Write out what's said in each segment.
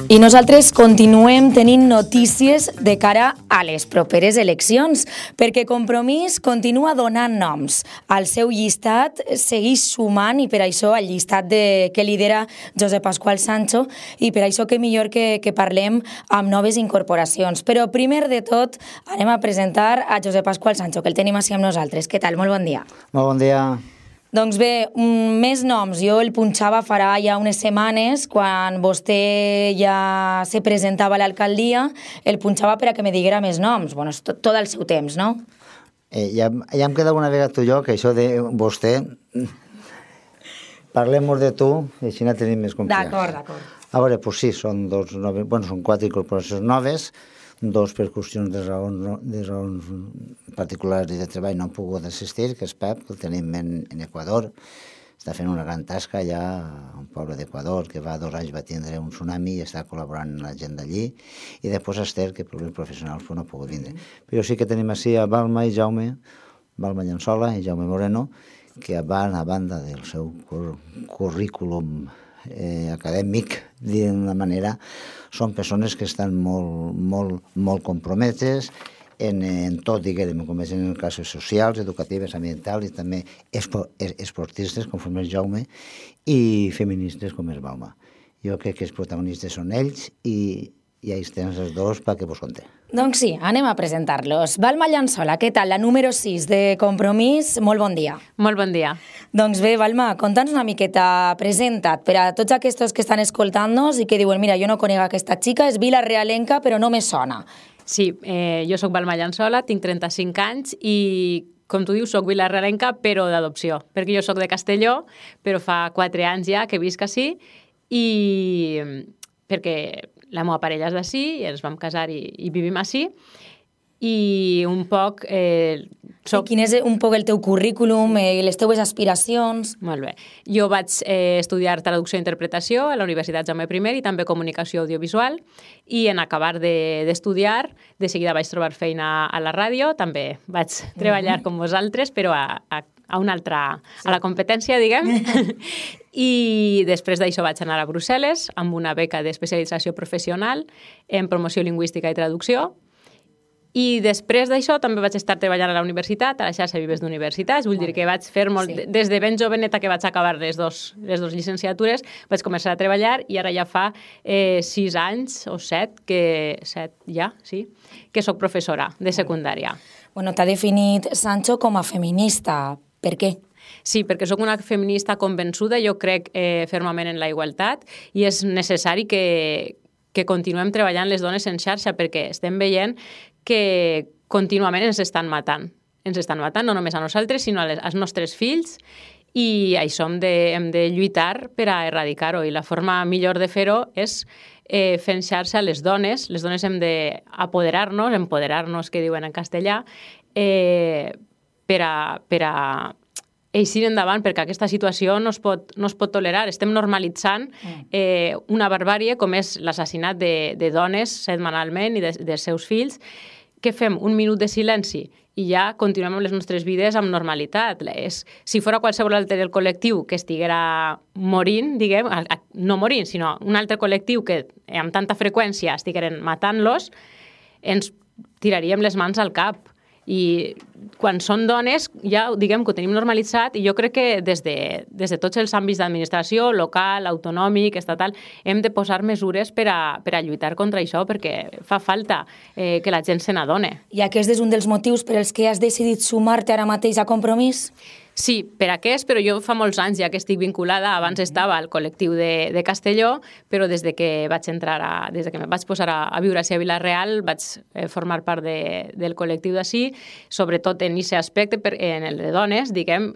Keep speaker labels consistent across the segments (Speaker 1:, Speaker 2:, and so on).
Speaker 1: I nosaltres continuem tenint notícies de cara a les properes eleccions, perquè Compromís continua donant noms. El seu llistat segueix sumant i per això el llistat que lidera Josep Pasqual Sancho i per això que millor que parlem amb noves incorporacions. Però primer de tot anem a presentar a Josep Pasqual Sancho, que el tenim així amb nosaltres. Què tal? Molt bon dia.
Speaker 2: Molt bon dia.
Speaker 1: Doncs bé, més noms. Jo el punxava farà ja unes setmanes, quan vostè ja se presentava a l'alcaldia, el punxava per a que me diguera més noms. Bueno, és tot el seu temps, no?
Speaker 2: Ja em queda una vegada tu i jo, que això de vostè... Parlem de tu, i així no tenim més confiança.
Speaker 1: D'acord.
Speaker 2: A veure, doncs sí, són són 4 incorporacions noves, 2 per qüestions de raons particulars i de treball no han pogut assistir, que és Pep, que el tenim en Equador. Està fent una gran tasca allà, a un poble d'Equador, que va 2 anys va tindre un tsunami i està col·laborant amb la gent d'allí. I després Esther, que per problemes professionals no ha pogut vindre. Però sí que tenim així a Balma i Jaume, Balma Llençola i Jaume Moreno, que van, a banda del seu currículum acadèmic, d'una manera, són persones que estan molt compromeses en tot, diguem, com és en classes socials, educatives, ambientals i també esportistes, com és Jaume, i feministes, com és Balma. Jo crec que els protagonistes són ells i ells tenen els dos perquè vos conté.
Speaker 1: Doncs sí, anem a presentar-los. Balma Llençola, què tal? La número 6 de Compromís, molt bon dia.
Speaker 3: Molt bon dia.
Speaker 1: Doncs bé, Balma, conta'ns una miqueta, presenta't, per a tots aquests que estan escoltant-nos i que diuen, mira, jo no conec aquesta xica, és vilarealenca, però no me sona.
Speaker 3: Sí, jo soc Balma Llençola, tinc 35 anys i, com tu dius, soc vilarealenca, però d'adopció, perquè jo soc de Castelló, però fa 4 anys ja que visc ací i perquè la meva parella és d'ací, i ens vam casar i vivim ací, i un poc...
Speaker 1: Quin és un poc el teu currículum, les teues aspiracions?
Speaker 3: Molt bé. Jo vaig estudiar traducció i interpretació a la Universitat Jaume I i també comunicació audiovisual, i en acabar d'estudiar, de seguida vaig trobar feina a la ràdio, també vaig treballar com vosaltres, però a una altra, a la competència, diguem. I després d'això vaig anar a Brussel·les amb una beca d'especialització professional en promoció lingüística i traducció. I després d'això també vaig estar treballant a la universitat, a la xarxa Vives d'Universitats, vull dir que vaig fer molt... Des de ben joveneta que vaig acabar les dos llicenciatures, vaig començar a treballar i ara ja fa 6 anys o 7, que soc professora de secundària.
Speaker 1: Bueno, t'ha definit Sancho com a feminista. Per què?
Speaker 3: Sí, perquè sóc una feminista convençuda, jo crec fermament en la igualtat i és necessari que continuem treballant les dones en xarxa perquè estem veient que contínuament ens estan matant. Ens estan matant no només a nosaltres, sinó als nostres fills, i això hem de lluitar per a erradicar-ho, i la forma millor de fer-ho és fent xarxa a les dones. Les dones hem d'empoderar-nos, que diuen en castellà, per a eixir endavant, perquè aquesta situació no es pot tolerar. Estem normalitzant una barbàrie com és l'assassinat de dones setmanalment i dels seus fills. Què fem? Un minut de silenci i ja continuem amb les nostres vides amb normalitat. Si fos qualsevol altre del col·lectiu que estiguera morint, diguem, no morint, sinó un altre col·lectiu que amb tanta freqüència estigueren matant-los, ens tiraríem les mans al cap. I quan són dones, ja diguem que ho tenim normalitzat, i jo crec que des de tots els àmbits d'administració, local, autonòmic, estatal, hem de posar mesures per a lluitar contra això, perquè fa falta que la gent se n'adone.
Speaker 1: I aquest és un dels motius per als que has decidit sumar-te ara mateix a Compromís?
Speaker 3: Sí, per aquest, però jo fa molts anys ja que estic vinculada. Abans estava al col·lectiu de Castelló, però des de que me vaig posar a viure a Vila-real vaig formar part del col·lectiu d'ací, sobretot en aquest aspecte, en el de dones, diguem,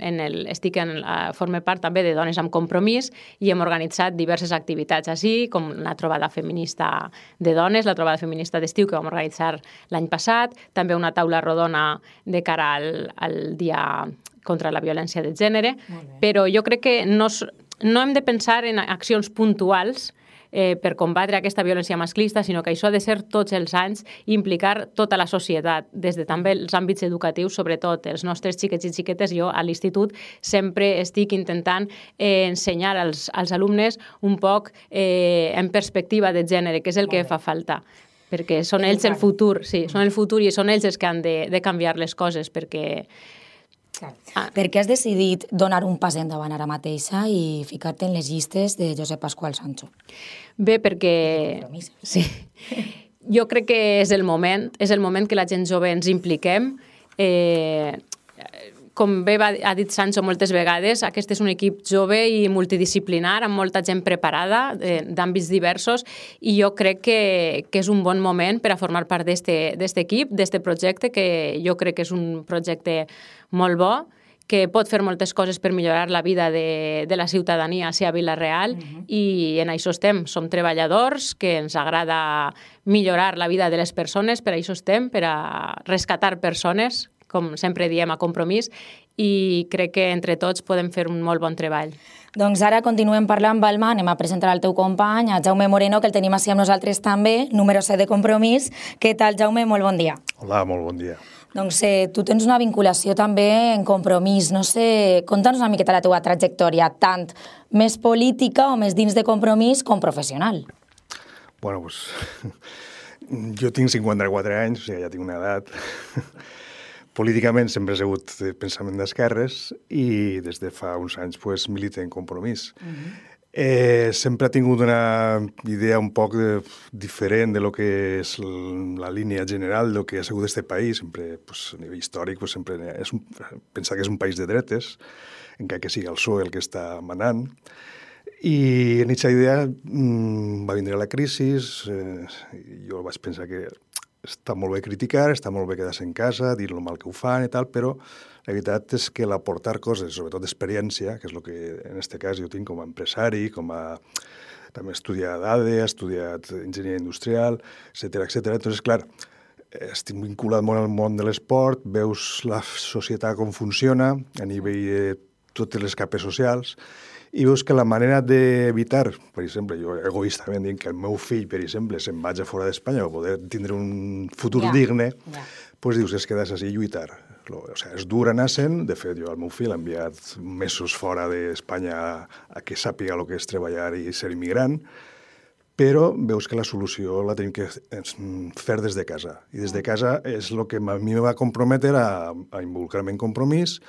Speaker 3: forme part també de Dones amb Compromís, i hem organitzat diverses activitats així, com la trobada feminista de dones, la trobada feminista d'estiu que vam organitzar l'any passat, també una taula rodona de cara al dia contra la violència de gènere, però jo crec que no hem de pensar en accions puntuals per combatre aquesta violència masclista, sinó que això ha de ser tots els anys i implicar tota la societat, des de també els àmbits educatius, sobretot els nostres xiquets i xiquetes. Jo a l'institut sempre estic intentant ensenyar als alumnes un poc en perspectiva de gènere, que és el que fa falta, perquè són ells el futur, sí, són el futur i són ells els que han de canviar les coses, perquè...
Speaker 1: Per què has decidit donar un pas endavant ara mateixa i ficar-te en les llistes de Josep Pasqual Sancho?
Speaker 3: Bé, perquè... Sí. Jo crec que és el moment que la gent jove ens impliquem. Com bé ha dit Sancho moltes vegades, aquest és un equip jove i multidisciplinar, amb molta gent preparada, d'àmbits diversos, i jo crec que és un bon moment per a formar part d'aquest equip, d'aquest projecte, que jo crec que és un projecte molt bo, que pot fer moltes coses per millorar la vida de la ciutadania a Vila-real, i en això estem. Som treballadors, que ens agrada millorar la vida de les persones, per això estem, per a rescatar persones, com sempre diem, a Compromís, i crec que entre tots podem fer un molt bon treball.
Speaker 1: Doncs ara continuem parlant, Balma, anem a presentar el teu company, a Jaume Moreno, que el tenim així amb nosaltres també, número 7 de Compromís. Què tal, Jaume? Molt bon dia.
Speaker 4: Hola, molt bon dia.
Speaker 1: Doncs tu tens una vinculació també en Compromís. No sé, conta'ns una miqueta la teva trajectòria, tant més política o més dins de Compromís com professional.
Speaker 4: Bueno, doncs jo tinc 54 anys, o sigui, ja tinc una edat. Políticament sempre he sigut de pensament d'esquerres i des de fa uns anys pues, milito en Compromís. Sempre he tingut una idea un poc diferent de lo que és la línia general del que ha sigut este país. Sempre, pues, a nivell històric, pues, sempre pensar que és un país de dretes, encara que sigui el PSOE el que està manant. I en aquesta idea va vindre la crisi, jo vaig pensar que està molt bé criticar, està molt bé quedar-se en casa, dir lo mal que ho fan i tal, però la veritat és que l'aportar coses, sobretot d'experiència, que és el que en aquest cas jo tinc com a empresari, també he estudiat ADE, he estudiat enginyeria industrial, etcètera. Entonces, clar, estic vinculat molt al món de l'esport, veus la societat com funciona a nivell de totes les capes socials, i veus que la manera d'evitar, per exemple, jo egoistament dic que el meu fill, per exemple, se'n vagi a fora d'Espanya per poder tindre un futur digne, doncs dius, és quedar-se així i lluitar. O sigui, és dur anar-se'n. De fet, jo al meu fill l'he enviat mesos fora d'Espanya a que sàpiga el que és treballar i ser immigrant, però veus que la solució la tenim que fer des de casa. I des de casa és el que a mi me va comprometre a involucrar-me en Compromís,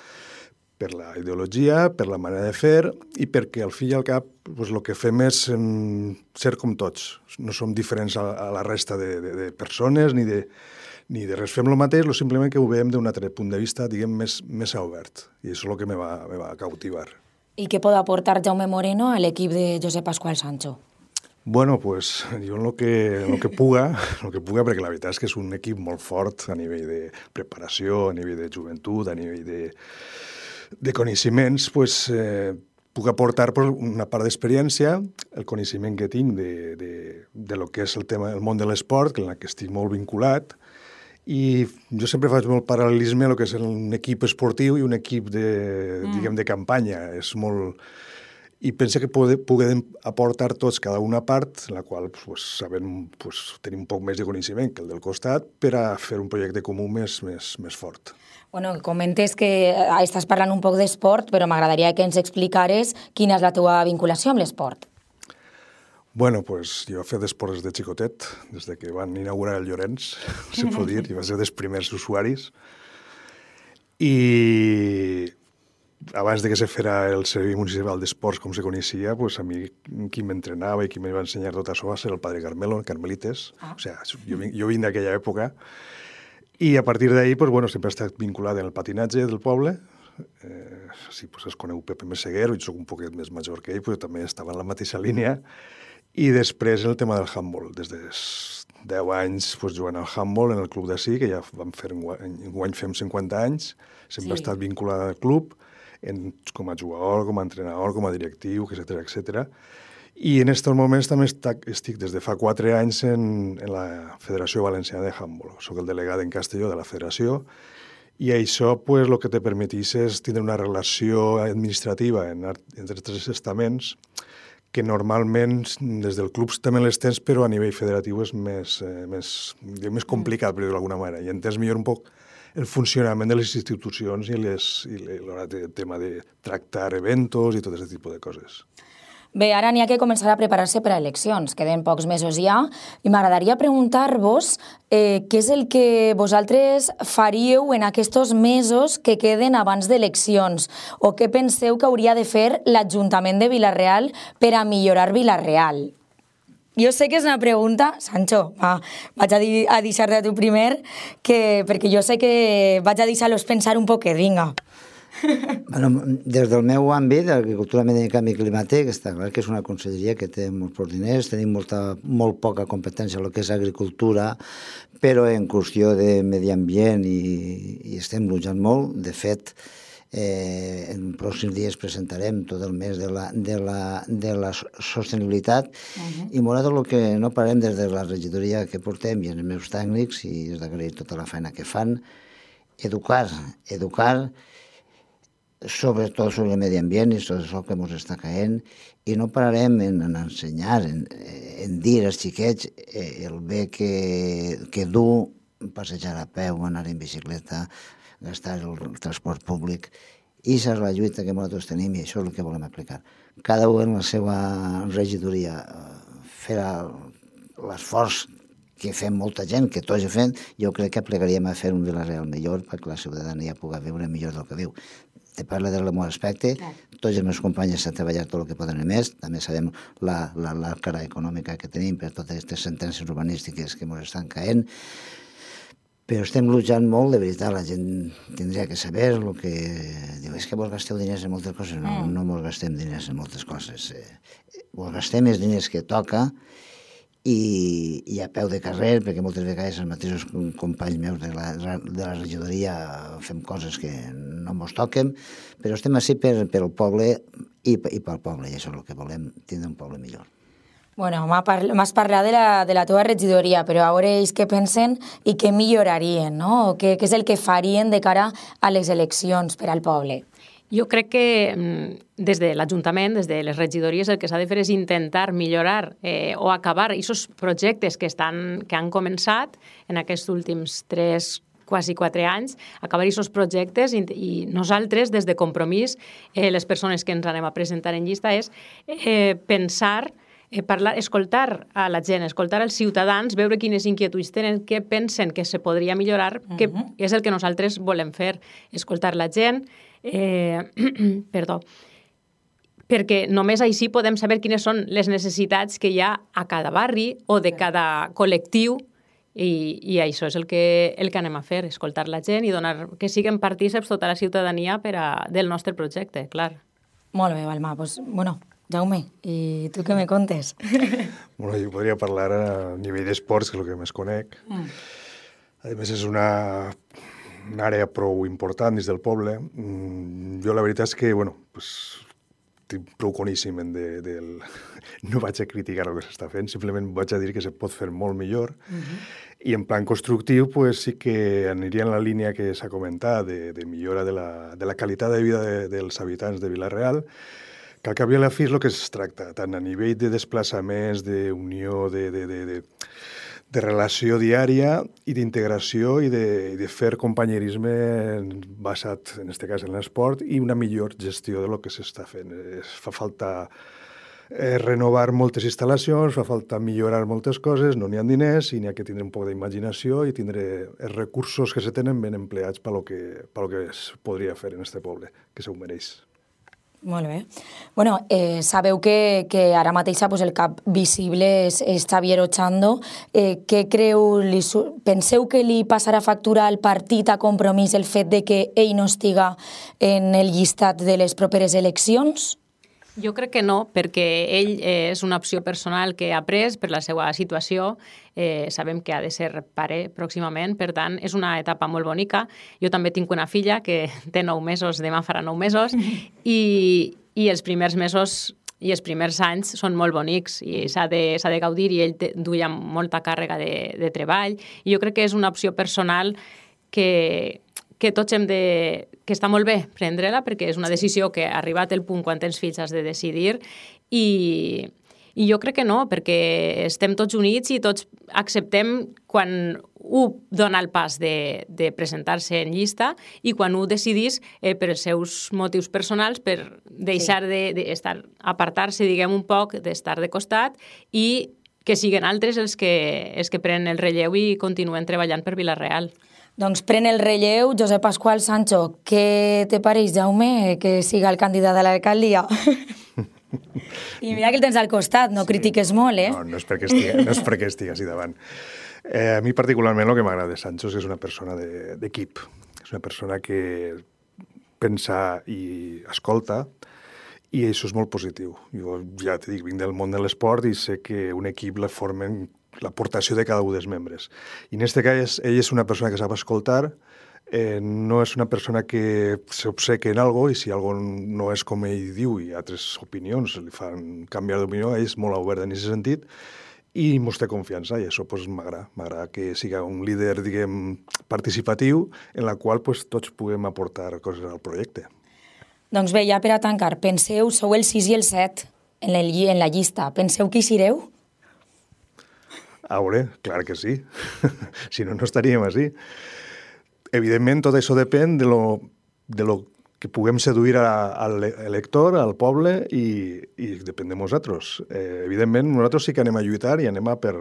Speaker 4: per la ideologia, per la manera de fer i perquè al fi i al cap el que fem és ser com tots. No som diferents a la resta de persones ni de res. Fem el mateix, simplement que ho veiem d'un altre punt de vista, diguem, més obert. I això és el que me va cautivar.
Speaker 1: I què pot aportar Jaume Moreno a l'equip de Josep Pasqual Sancho?
Speaker 4: Bueno, pues jo en lo que puga, perquè la veritat és que és un equip molt fort a nivell de preparació, a nivell de joventut, a nivell de coneixements, pues, puc aportar una part d'experiència, el coneixement que tinc de lo que és el món de l'esport, en què estic molt vinculat, i jo sempre faig molt paral·lelisme a lo que és un equip esportiu i un equip de campanya. És molt... I penso que podem aportar tots cada una part, en la qual tenim un poc més de coneixement que el del costat, per a fer un projecte comú més fort.
Speaker 1: Bueno, comentes que estàs parlant un poc d'esport, però m'agradaria que ens explicares quina és la teva vinculació amb l'esport.
Speaker 4: Bueno, pues jo he fet esports de xicotet, des que van inaugurar el Llorenç, se pot dir, i va ser dels primers usuaris. I abans de que se fera el Servei Municipal d'Esports com se coneixia, pues a mi qui m'entrenava i qui me va ensenyar tot això va ser el padre Carmelo, en Carmelites. O sigui, jo vinc d'aquella època. I a partir d'ahir, pues, bueno, sempre he estat vinculat en el patinatge del poble. Sí, pues, es coneu Pepe Meseguer, jo soc un poquet més major que ell, però també estava en la mateixa línia. I després el tema del handball. Des de 10 anys pues, jugant al handball en el club d'ací, que ja vam fer, enguany fem 50 anys. Sempre he estat vinculat al club, com a jugador, com a entrenador, com a directiu, etcètera. I en aquests moments també estic des de fa 4 anys en la Federació Valenciana de Handball. Soc el delegat en Castelló de la federació i això pues, el que te permetís és tindre una relació administrativa entre 3 estaments que normalment des del club també les tens, però a nivell federatiu és més complicat, per dir-ho d'alguna manera, i entens millor un poc el funcionament de les institucions i el tema de tractar eventos i tot aquest tipus de coses.
Speaker 1: Bé, ara n'hi ha que començar a preparar-se per a eleccions, queden pocs mesos ja, i m'agradaria preguntar-vos què és el que vosaltres faríeu en aquests mesos que queden abans d'eleccions, o què penseu que hauria de fer l'Ajuntament de Vila-real per a millorar Vila-real? Jo sé que és una pregunta, Sancho, vaig a deixar-te a tu primer, perquè jo sé que vaig a deixar-los pensar un poquet, vinga.
Speaker 2: Bueno, des del meu àmbit, d'Agricultura, Medi i Canvi Climàtic, està clar que és una conselleria que té molts pocs diners, tenim molt poca competència en el que és agricultura, però en qüestió de medi ambient i estem luchant molt. De fet, en pròxims dies presentarem tot el mes de la sostenibilitat i m'agrada el que no parem des de la regidoria que portem i els meus tècnics, i és d'agrair tota la feina que fan, educar, sobretot sobre el medi ambient i tot això que ens està caent, i no pararem en ensenyar, en dir als xiquets el bé que du passejar a peu, anar en bicicleta, gastar el transport públic. I això és la lluita que nosaltres tenim i això és el que volem aplicar. Cada un en la seva regidoria fer l'esforç que fem molta gent, que tots fem, jo crec que plegaríem a fer un Vila-real millor perquè la ciutadania pugui viure millor del que viu. Te parla del meu aspecte, tots els meus companys s'han treballat tot el que poden més, també sabem la cara econòmica que tenim per totes aquestes sentències urbanístiques que ens estan caent, però estem luchant molt, de veritat, la gent tindria que saber el que diu, és que vos gasteu diners en moltes coses, no mos gastem diners en moltes coses, vos gastem els diners que toca, i a peu de carrer, perquè moltes vegades els mateixos companys meus de la regidoria fem coses que no ens toquen, però estem així pel poble i pel poble, i això és el que volem, tindre un poble millor.
Speaker 1: Bueno, m'has parlat de la teva regidoria, però a veure ells què pensen i què millorarien, no? Què és el que farien de cara a les eleccions per al poble?
Speaker 3: Jo crec que des de l'Ajuntament, des de les regidories, el que s'ha de fer és intentar millorar o acabar aquests projectes que han començat en aquests últims 3, quasi 4 anys, acabar aquests projectes i nosaltres, des de Compromís, les persones que ens anem a presentar en llista, és pensar, parlar, escoltar a la gent, escoltar als ciutadans, veure quines inquietuds tenen, què pensen que se podria millorar, que és el que nosaltres volem fer, escoltar la gent, perdó, perquè només així podem saber quines són les necessitats que hi ha a cada barri o de cada col·lectiu i això és el que anem a fer, escoltar la gent i donar que siguin partíceps tota la ciutadania del nostre projecte, clar.
Speaker 1: Molt bé, Balma. Pues, bueno, Jaume, i tu què me contes?
Speaker 4: Bueno, jo podria parlar a nivell d'esports, que és el que més conec. A més, és una àrea prou important dins del poble. Jo la veritat és que, bueno, estic prou coneixement del... No vaig a criticar el que s'està fent, simplement vaig a dir que se pot fer molt millor. I en plan constructiu, pues, sí que aniria en la línia que s'ha comentat de millora de la qualitat de vida dels habitants de Vila-real, que al cap i a la fi és el que es tracta, tant a nivell de desplaçaments, d'unió, de relació diària i d'integració i de fer companyerisme basat, en aquest cas, en l'esport i una millor gestió del que s'està fent. Fa falta renovar moltes instal·lacions, fa falta millorar moltes coses, no n'hi ha diners i n'hi ha que tindre un poc d'imaginació i tindre els recursos que se tenen ben empleats pel que es podria fer en aquest poble, que se ho mereix.
Speaker 1: Molt bé. Bueno, sabeu que ara mateix el cap visible és Xavier Ochando. Què penseu que li passarà factura al partit a Compromís el fet de que ell no estiga en el llistat de les properes eleccions?
Speaker 3: Jo crec que no, perquè ell és una opció personal que ha pres per la seva situació. Sabem que ha de ser pare pròximament, per tant, és una etapa molt bonica. Jo també tinc una filla que té 9 mesos, demà farà 9 mesos, i els primers mesos i els primers anys són molt bonics i s'ha de gaudir, i ell duia molta càrrega de treball. I jo crec que és una opció personal que que tots hem de... que està molt bé prendre-la, perquè és una decisió que ha arribat el punt quan tens fills has de decidir, i jo crec que no, perquè estem tots units i tots acceptem quan un dona el pas de presentar-se en llista i quan un decidís per els seus motius personals per deixar apartar-se, diguem, un poc, d'estar de costat i que siguin altres els que prenen el relleu i continuen treballant per Vila-real.
Speaker 1: Doncs pren el relleu Josep Pasqual. Sancho, què te pareix, Jaume, que siga el candidat a l'alcaldia? I mira que el tens al costat, no critiques molt, eh?
Speaker 4: No és perquè estigui així davant. A mi particularment el que m'agrada de Sancho és que és una persona d'equip. És una persona que pensa i escolta, i això és molt positiu. Jo ja t'he dit, vinc del món de l'esport i sé que un equip la formen l'aportació de cada un dels membres. I en aquest cas, ell és una persona que sap escoltar, no és una persona que s'obseca en algo i si algo no és com ell diu i altres opinions li fan canviar d'opinió, ell és molt obert en aquest sentit i mos té confiança i això pues, m'agrada. M'agrada que siga un líder, diguem, participatiu en la qual pues, tots puguem aportar coses al projecte.
Speaker 1: Doncs bé, ja per a tancar, penseu, sou el 6 i el 7 en la llista. Penseu que hi sereu?
Speaker 4: A veure, clar que sí. Si no, no estaríem així. Evidentment, tot això depèn de lo que puguem seduir a l'elector, al poble, i depèn de nosaltres. Evidentment, nosaltres sí que anem a lluitar i anem per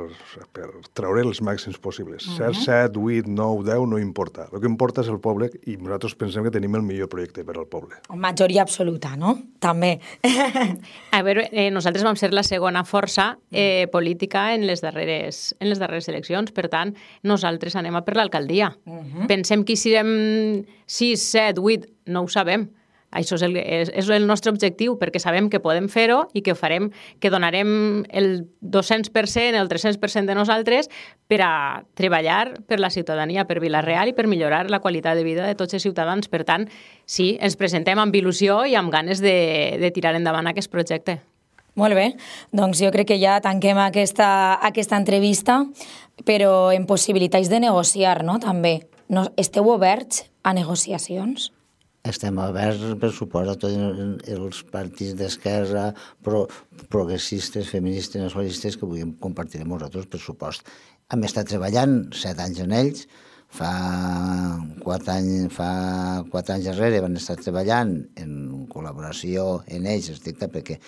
Speaker 4: treure els màxims possibles. 7, 8, 9, 10, no importa. El que importa és el poble i nosaltres pensem que tenim el millor projecte per al poble.
Speaker 1: Majoria absoluta, no? També.
Speaker 3: A veure, nosaltres vam ser la segona força política en les darreres eleccions, per tant, nosaltres anem a per l'alcaldia. Pensem que hi serem 6, 7, 8, no ho sabem. Això és el nostre objectiu, perquè sabem que podem fer-ho i que ho farem, que donarem el 200%, el 300% de nosaltres per a treballar per la ciutadania, per Vila-real i per millorar la qualitat de vida de tots els ciutadans. Per tant, sí, ens presentem amb il·lusió i amb ganes de tirar endavant aquest projecte.
Speaker 1: Molt bé, doncs jo crec que ja tanquem aquesta entrevista, però en possibilitats de negociar, no?, també. Esteu oberts a negociacions?
Speaker 2: Estem oberts, per supost, a tots els partits d'esquerra, progressistes, feministes, nacionalistes, que vulguem compartir amb nosaltres, per supost. Hem estat treballant 7 anys en ells, fa 4 anys darrere van estar treballant en col·laboració en ells, estricta, perquè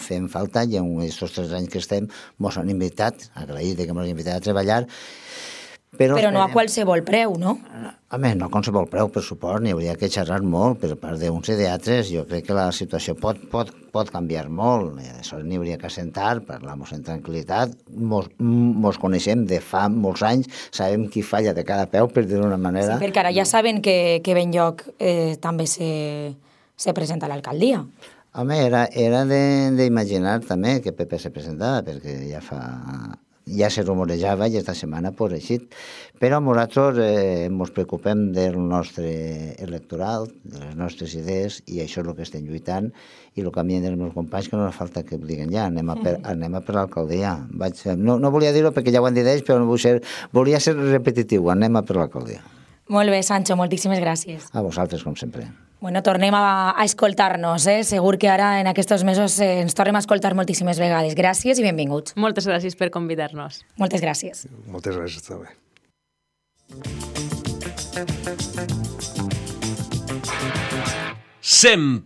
Speaker 2: fem falta i en aquests 3 anys que estem ens han invitat, agraït que ens han invitat a treballar, però
Speaker 1: no a qualsevol preu, no?
Speaker 2: Home, no a qualsevol preu, per suport, n'hi hauria que xerrar molt per part d'uns i d'altres. Jo crec que la situació pot canviar molt. Això n'hi hauria que assentar, parlar-nos en tranquil·litat. Mos coneixem de fa molts anys, sabem qui falla de cada peu, per dir-ho d'una manera.
Speaker 1: Sí, perquè ara ja saben que Benlloc també se presenta a l'alcaldia.
Speaker 2: Home, era d'imaginar també que PP se presentava, perquè ja se rumorejava i esta setmana pues eixit. Però nosaltres ens preocupem del nostre electoral, de les nostres idees, i això és el que estem lluitant, i el que a mi dels meus companys que no fa falta que ho diguen ja, anem a per l'alcaldia. No volia dir-ho perquè ja ho han dit ells, però volia ser repetitiu, anem a per l'alcaldia.
Speaker 1: Molt bé, Sancho, moltíssimes gràcies.
Speaker 2: A vosaltres, com sempre.
Speaker 1: Bueno, tornem a escoltar-nos, Segur que ara en aquests mesos ens tornem a escoltar moltíssimes vegades. Gràcies i benvinguts.
Speaker 3: Moltes gràcies per convidar-nos.
Speaker 1: Moltes gràcies.
Speaker 4: Moltes gràcies també.
Speaker 5: Sempre